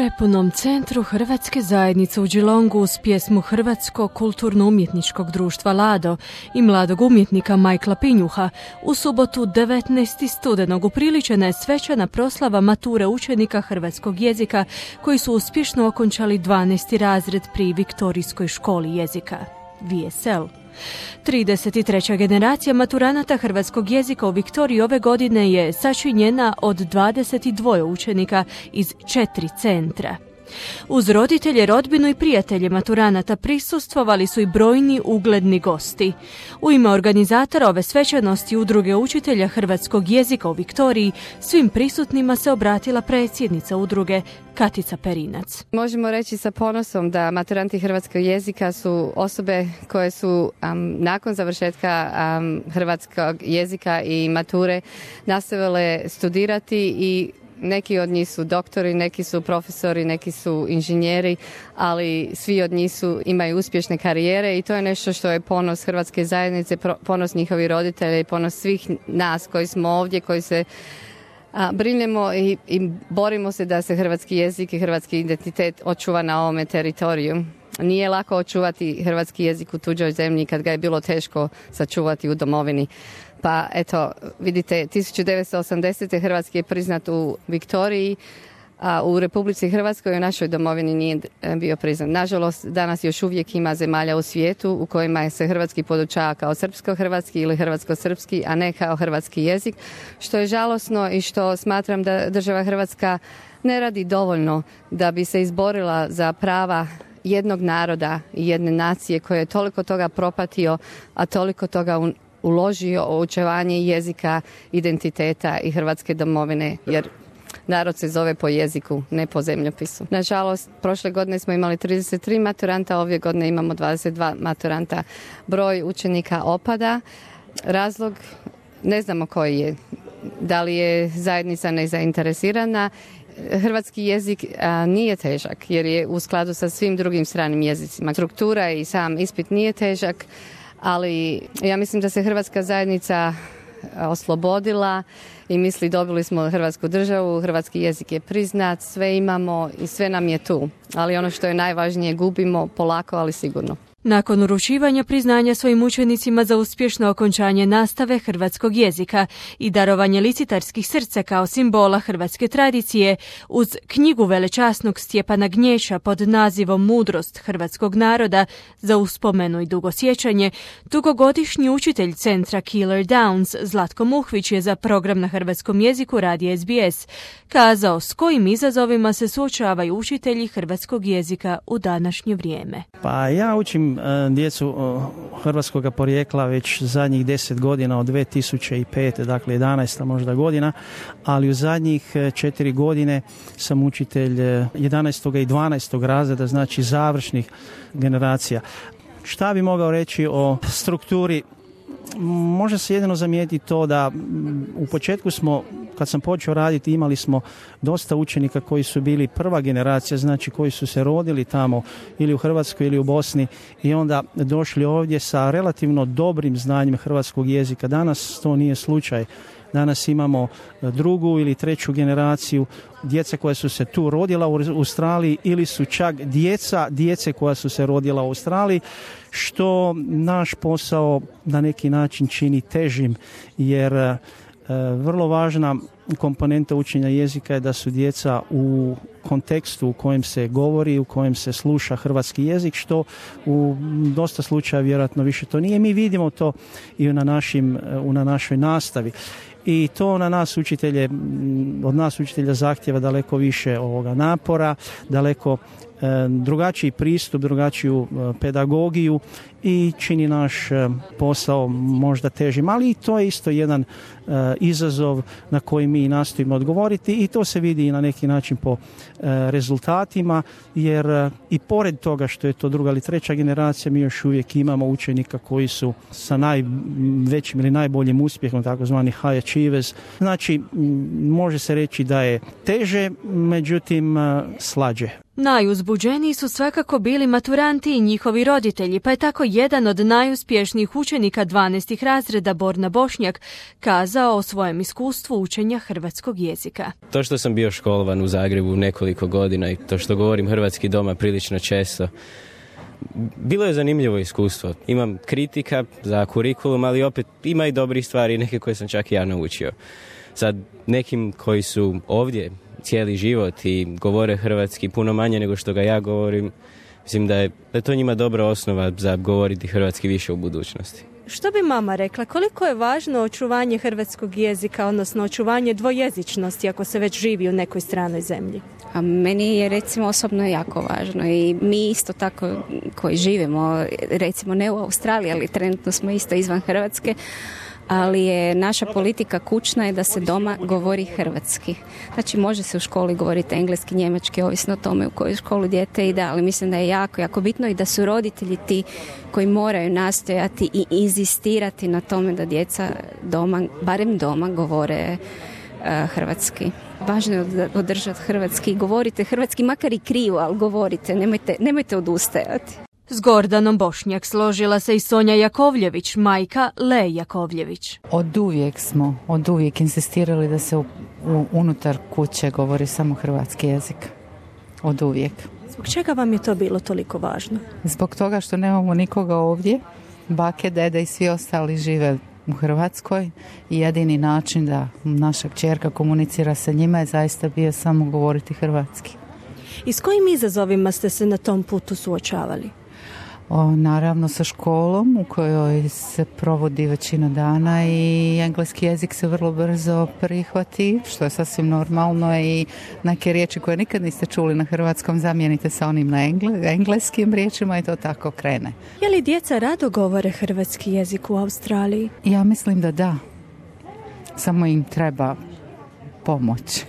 prepunom centru Hrvatske zajednice u Geelongu uz pjesmu Hrvatskog kulturno-umjetničkog društva Lado i mladog umjetnika Michaela Pinjuha u subotu 19. studenog upriličena je svečana proslava mature učenika hrvatskog jezika koji su uspješno okončali 12. razred pri Viktorijskoj školi jezika, VSL. 33. generacija maturanata hrvatskog jezika u Viktoriji ove godine je sačinjena od 22 učenika iz 4 centra. Uz roditelje, rodbinu i prijatelje maturanata prisustvovali su i brojni ugledni gosti. U ime organizatora ove svečanosti Udruge učitelja hrvatskog jezika u Viktoriji svim prisutnima se obratila predsjednica udruge Katica Perinac. Možemo reći sa ponosom da maturanti hrvatskog jezika su osobe koje su nakon završetka hrvatskog jezika i mature nastavile studirati i neki od njih su doktori, neki su profesori, neki su inženjeri, ali svi od njih imaju uspješne karijere i to je nešto što je ponos hrvatske zajednice, ponos njihovih roditelja i ponos svih nas koji smo ovdje, koji se brinemo i borimo se da se hrvatski jezik i hrvatski identitet očuva na ovome teritoriju. Nije lako očuvati hrvatski jezik u tuđoj zemlji kad ga je bilo teško sačuvati u domovini. Pa eto, vidite, 1980. hrvatski je priznat u Viktoriji, a u Republici Hrvatskoj u našoj domovini nije bio priznat. Nažalost, danas još uvijek ima zemalja u svijetu u kojima se hrvatski podučava kao srpsko-hrvatski ili hrvatsko-srpski, a ne kao hrvatski jezik, što je žalosno i što smatram da država Hrvatska ne radi dovoljno da bi se izborila za prava jednog naroda i jedne nacije koje je toliko toga propatio, a toliko toga uložio u očuvanje jezika, identiteta i hrvatske domovine, jer narod se zove po jeziku, ne po zemljopisu. Nažalost, prošle godine smo imali 33 maturanta, ove godine imamo 22 maturanta. Broj učenika opada. Razlog ne znamo koji je. Da li je zajednica nezainteresirana? Hrvatski jezik nije težak jer je u skladu sa svim drugim stranim jezicima. Struktura i sam ispit nije težak, ali ja mislim da se hrvatska zajednica oslobodila i misli dobili smo hrvatsku državu, hrvatski jezik je priznat, sve imamo i sve nam je tu. Ali ono što je najvažnije, gubimo polako, ali sigurno. Nakon uručivanja priznanja svojim učenicima za uspješno okončanje nastave hrvatskog jezika i darovanje licitarskih srca kao simbola hrvatske tradicije, uz knjigu velečasnog Stjepana Gnječa pod nazivom Mudrost hrvatskog naroda za uspomenu i dugosjećanje, dugogodišnji učitelj centra Keeler Downs Zlatko Muhvić je za program na hrvatskom jeziku radija SBS kazao s kojim izazovima se suočavaju učitelji hrvatskog jezika u današnje vrijeme. Pa ja učim djecu hrvatskog porijekla već zadnjih 10 godina od 2005. Dakle 11. možda godina, ali u zadnjih 4 godine sam učitelj 11. i 12. razreda, znači završnih generacija. Šta bi mogao reći o strukturi? Može se jedino zamijetiti to da u početku smo, kad sam počeo raditi, imali smo dosta učenika koji su bili prva generacija, znači koji su se rodili tamo ili u Hrvatskoj ili u Bosni i onda došli ovdje sa relativno dobrim znanjem hrvatskog jezika. Danas to nije slučaj. Danas imamo drugu ili treću generaciju djece koja su se tu rodila u Australiji ili su čak djece koja su se rodila u Australiji, što naš posao na neki način čini težim, jer vrlo važna komponenta učenja jezika je da su djeca u kontekstu u kojem se govori, u kojem se sluša hrvatski jezik, što u dosta slučaja vjerojatno više to nije. Mi vidimo to i na našoj nastavi. I to na nas učitelje, od nas učitelja zahtjeva daleko više ovoga napora, daleko drugačiji pristup, drugačiju pedagogiju i čini naš posao možda težim, ali i to je isto jedan izazov na koji mi nastojimo odgovoriti i to se vidi i na neki način po rezultatima, jer i pored toga što je to druga ili treća generacija, mi još uvijek imamo učenika koji su sa najvećim ili najboljim uspjehom, takozvani high achievers. Znači, može se reći da je teže, međutim slađe. Najuzbuđeniji su svakako bili maturanti i njihovi roditelji, pa je tako jedan od najuspješnijih učenika 12. razreda, Borna Bošnjak, kazao o svojem iskustvu učenja hrvatskog jezika. To što sam bio školovan u Zagrebu nekoliko godina i to što govorim hrvatski doma prilično često, bilo je zanimljivo iskustvo. Imam kritika za kurikulum, ali opet ima i dobrih stvari, neke koje sam čak i ja naučio. Sad, nekim koji su ovdje cijeli život i govore hrvatski puno manje nego što ga ja govorim, mislim da je to njima dobra osnova za govoriti hrvatski više u budućnosti. Što bi mama rekla, koliko je važno očuvanje hrvatskog jezika, odnosno očuvanje dvojezičnosti ako se već živi u nekoj stranoj zemlji? A meni je recimo osobno jako važno i mi isto tako koji živimo, recimo ne u Australiji, ali trenutno smo isto izvan Hrvatske, ali je naša politika kućna je da se doma govori hrvatski. Znači može se u školi govoriti engleski, njemački, ovisno o tome u koju školu dijete ide, ali mislim da je jako, jako bitno i da su roditelji ti koji moraju nastojati i inzistirati na tome da djeca doma, barem doma, govore hrvatski. Važno je održati hrvatski, govorite hrvatski, makar i krivo, ali govorite, nemojte odustajati. S Gordanom Bošnjak složila se i Sonja Jakovljević, majka Le Jakovljević. Od uvijek insistirali da se unutar kuće govori samo hrvatski jezik. Od uvijek. Zbog čega vam je to bilo toliko važno? Zbog toga što nemamo nikoga ovdje. Bake, dede i svi ostali žive u Hrvatskoj i jedini način da naša kćerka komunicira sa njima je zaista bio samo govoriti hrvatski. I s kojim izazovima ste se na tom putu suočavali? Naravno sa školom u kojoj se provodi većina dana i engleski jezik se vrlo brzo prihvati, što je sasvim normalno i neke riječi koje nikad niste čuli na hrvatskom zamijenite sa onim na engleskim riječima i to tako krene. Je li djeca rado govore hrvatski jezik u Australiji? Ja mislim da. Samo im treba pomoć.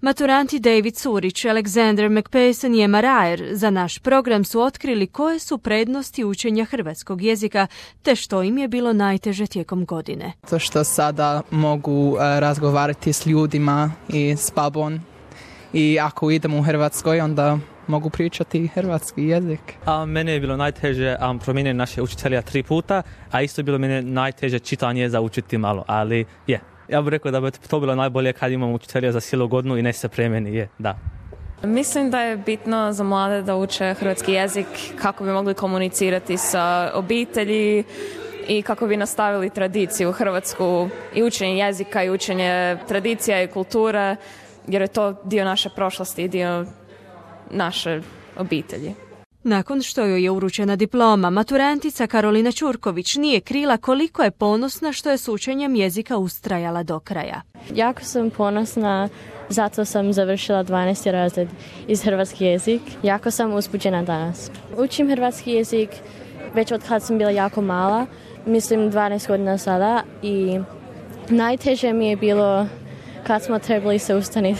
Maturanti David Surić, Alexander McPayson i Emma Rayer za naš program su otkrili koje su prednosti učenja hrvatskog jezika te što im je bilo najteže tijekom godine. To što sada mogu razgovarati s ljudima i s babom i ako idem u Hrvatskoj onda mogu pričati hrvatski jezik. Mene je bilo najteže promijeniti naše učitelja 3 puta, a isto je bilo mene najteže čitanje za učiti malo, ali je. Ja bih rekao da bi to bilo najbolje kad imamo učitelja za cijelu godinu i ne se premeni, da. Mislim da je bitno za mlade da uče hrvatski jezik kako bi mogli komunicirati sa obitelji i kako bi nastavili tradiciju hrvatsku i učenje jezika i učenje tradicija i kulture, jer je to dio naše prošlosti i dio naše obitelji. Nakon što joj je uručena diploma, maturantica Karolina Ćurković nije krila koliko je ponosna što je s učenjem jezika ustrajala do kraja. Jako sam ponosna, zato sam završila 12. razred iz hrvatski jezik. Jako sam uzbuđena danas. Učim hrvatski jezik već od kad sam bila jako mala, mislim 12 godina sada i najteže mi je bilo kad smo trebali se ustati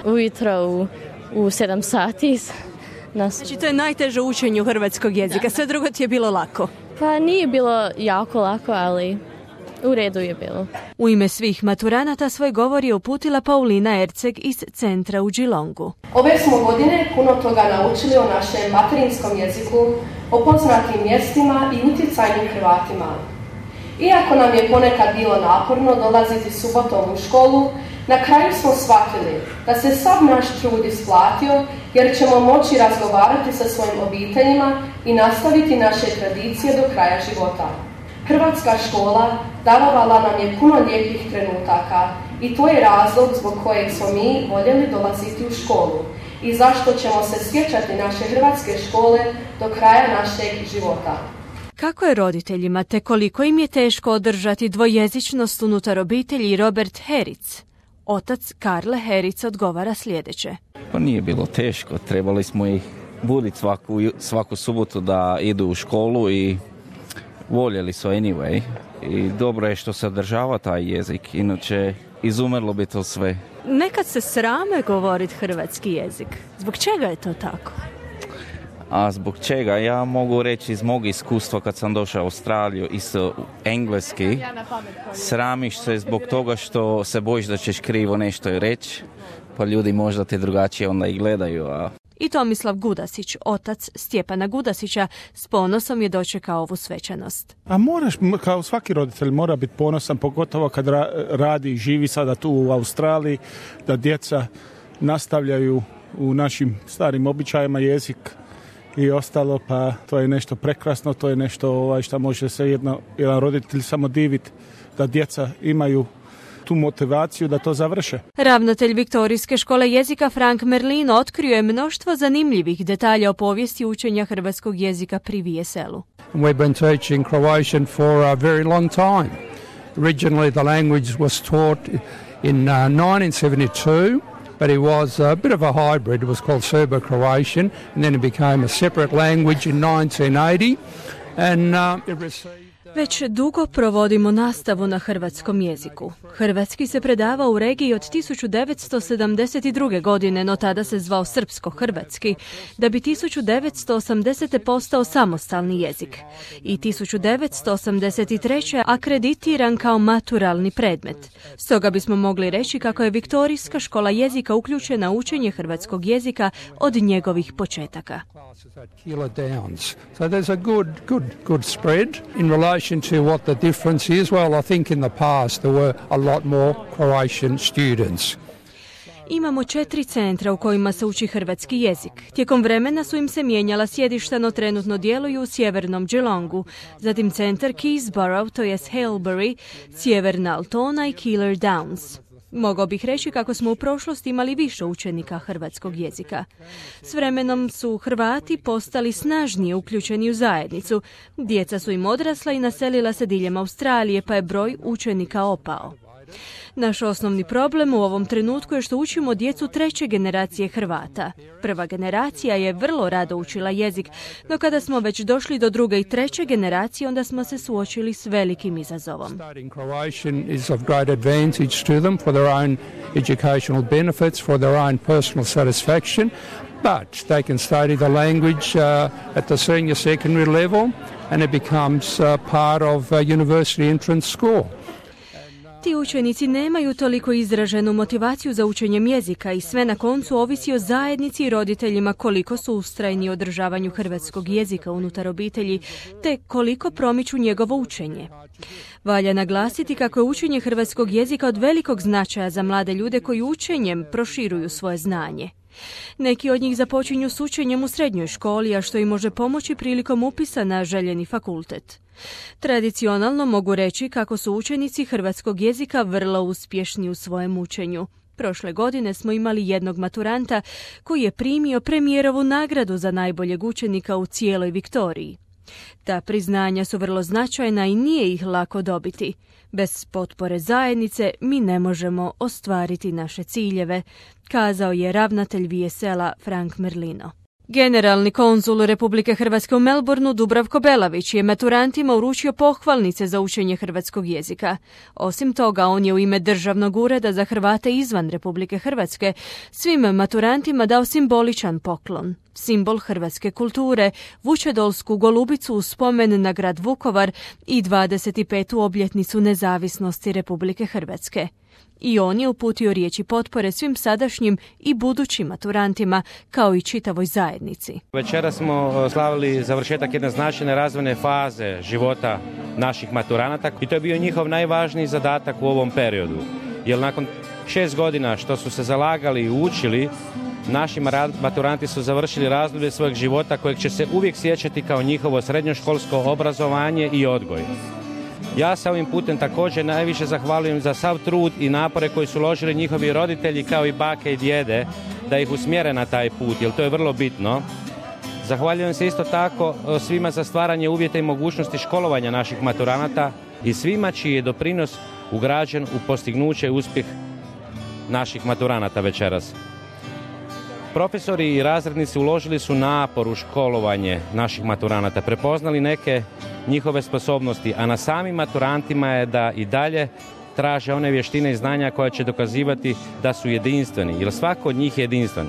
ujutro u 7 sati. Znači to je najteže učenje hrvatskog jezika, sve drugo ti je bilo lako? Pa nije bilo jako lako, ali u redu je bilo. U ime svih maturanata svoj govor je uputila Paulina Erceg iz centra u Geelongu. Ove smo godine puno toga naučili o našem materinskom jeziku, o poznatim mjestima i utjecajnim Hrvatima. Iako nam je ponekad bilo naporno dolaziti subotom u školu, na kraju smo shvatili da se sav naš trud isplatio jer ćemo moći razgovarati sa svojim obiteljima i nastaviti naše tradicije do kraja života. Hrvatska škola darovala nam je puno lijepih trenutaka i to je razlog zbog kojeg smo mi voljeli dolaziti u školu i zašto ćemo se sjećati naše hrvatske škole do kraja našeg života. Kako je roditeljima te koliko im je teško održati dvojezičnost unutar obitelji, Robert Heric, otac Karle Heric, odgovara sljedeće. Pa nije bilo teško, trebali smo ih buditi svaku subotu da idu u školu i voljeli su anyway. I dobro je što se održava taj jezik, inače izumrlo bi to sve. Nekad se srame govoriti hrvatski jezik. Zbog čega je to tako? A zbog čega? Ja mogu reći iz mog iskustva kad sam došao u Australiju isto engleski. Sramiš se zbog toga što se bojiš da ćeš krivo nešto reći, pa ljudi možda te drugačije onda i gledaju. I Tomislav Gudasić, otac Stjepana Gudasića, s ponosom je dočekao ovu svečanost. A moraš, kao svaki roditelj, mora biti ponosan, pogotovo kad radi i živi sada tu u Australiji, da djeca nastavljaju u našim starim običajima jezik i ostalo, pa to je nešto prekrasno, to je nešto što može se jedan roditelj samo diviti, da djeca imaju tu motivaciju da to završe. Ravnatelj Viktorijske škole jezika Frank Merlino otkrio je mnoštvo zanimljivih detalja o povijesti učenja hrvatskog jezika pri VSL-u. We've been teaching Croatian for a very long time. Originally the language was taught in 1972. But it was a bit of a hybrid. It was called Serbo-Croatian, and then it became a separate language in 1980, and it received... Već dugo provodimo nastavu na hrvatskom jeziku. Hrvatski se predavao u regiji od 1972. godine, no tada se zvao srpsko-hrvatski, da bi 1980. postao samostalni jezik. I 1983. akreditiran kao maturalni predmet. Stoga bismo mogli reći kako je Viktorijska škola jezika uključena u učenje hrvatskog jezika od njegovih početaka. So there's a good spread in relation to what the difference is. Well, I think in the past there were a lot more Croatian students. Imamo 4 centra u kojima se uči hrvatski jezik. Tijekom vremena su im se mijenjala sjedišta, no trenutno djeluju u sjevernom Geelongu, zatim centar Keysborough, to jest Hailbury, sjeverna Altona i Keeler Downs. Mogao bih reći kako smo u prošlosti imali više učenika hrvatskog jezika. S vremenom su Hrvati postali snažnije uključeni u zajednicu. Djeca su im odrasla i naselila se diljem Australije, pa je broj učenika opao. Naš osnovni problem u ovom trenutku je što učimo djecu 3. generacije Hrvata. Prva generacija je vrlo rado učila jezik, no kada smo već došli do 2. i 3. generacije, onda smo se suočili s velikim izazovom. Studying Croatian is of great advantage to them for their own educational benefits, for their own personal satisfaction, but they can study the language at the senior secondary level and it becomes part of university entrance score. Ti učenici nemaju toliko izraženu motivaciju za učenjem jezika i sve na koncu ovisi o zajednici i roditeljima koliko su ustrajni u održavanju hrvatskog jezika unutar obitelji, te koliko promiču njegovo učenje. Valja naglasiti kako je učenje hrvatskog jezika od velikog značaja za mlade ljude koji učenjem proširuju svoje znanje. Neki od njih započinju s učenjem u srednjoj školi, a što im može pomoći prilikom upisa na željeni fakultet. Tradicionalno mogu reći kako su učenici hrvatskog jezika vrlo uspješni u svojem učenju. Prošle godine smo imali jednog maturanta koji je primio premijerovu nagradu za najboljeg učenika u cijeloj Viktoriji. Ta priznanja su vrlo značajna i nije ih lako dobiti. Bez potpore zajednice mi ne možemo ostvariti naše ciljeve, kazao je ravnatelj VSL-a Frank Merlino. Generalni konzul Republike Hrvatske u Melbourneu Dubravko Belavić je maturantima uručio pohvalnice za učenje hrvatskog jezika. Osim toga, on je u ime Državnog ureda za Hrvate izvan Republike Hrvatske svim maturantima dao simboličan poklon. Simbol hrvatske kulture, vučedolsku golubicu u spomen na grad Vukovar i 25. obljetnicu nezavisnosti Republike Hrvatske. I on je uputio riječi potpore svim sadašnjim i budućim maturantima, kao i čitavoj zajednici. Večera smo slavili završetak jedne značajne razvojne faze života naših maturanata i to je bio njihov najvažniji zadatak u ovom periodu. Jer nakon 6 godina što su se zalagali i učili, naši maturanti su završili razdoblje svojeg života kojeg će se uvijek sjećati kao njihovo srednjoškolsko obrazovanje i odgoj. Ja se ovim putem također najviše zahvaljujem za sav trud i napore koji su uložili njihovi roditelji kao i bake i djede da ih usmjere na taj put, jer to je vrlo bitno. Zahvaljujem se isto tako svima za stvaranje uvjeta i mogućnosti školovanja naših maturanata i svima čiji je doprinos ugrađen u postignuće i uspjeh naših maturanata večeras. Profesori i razrednici uložili su napor u školovanje naših maturanata, prepoznali neke njihove sposobnosti, a na samim maturantima je da i dalje traže one vještine i znanja koje će dokazivati da su jedinstveni, jer svako od njih je jedinstven.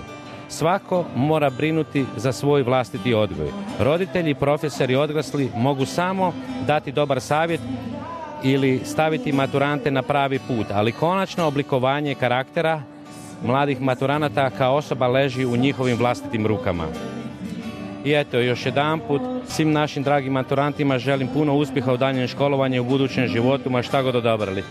Svako mora brinuti za svoj vlastiti odgoj. Roditelji, profesori, odrasli mogu samo dati dobar savjet ili staviti maturante na pravi put, ali konačno oblikovanje karaktera mladih maturanata kao osoba leži u njihovim vlastitim rukama. I eto, još jedanput svim našim dragim maturantima želim puno uspjeha u daljnjem školovanju i u budućem životu, ma šta god odabrali.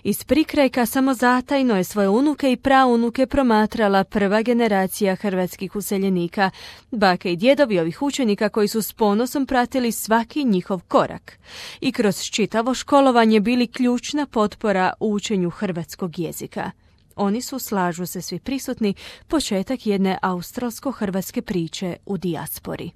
Iz prikrajka samozatajno je svoje unuke i praunuke promatrala prva generacija hrvatskih useljenika, bake i djedovi ovih učenika koji su s ponosom pratili svaki njihov korak i kroz čitavo školovanje bili ključna potpora u učenju hrvatskog jezika. Oni su, slažu se svi prisutni, početak jedne australsko-hrvatske priče u dijaspori.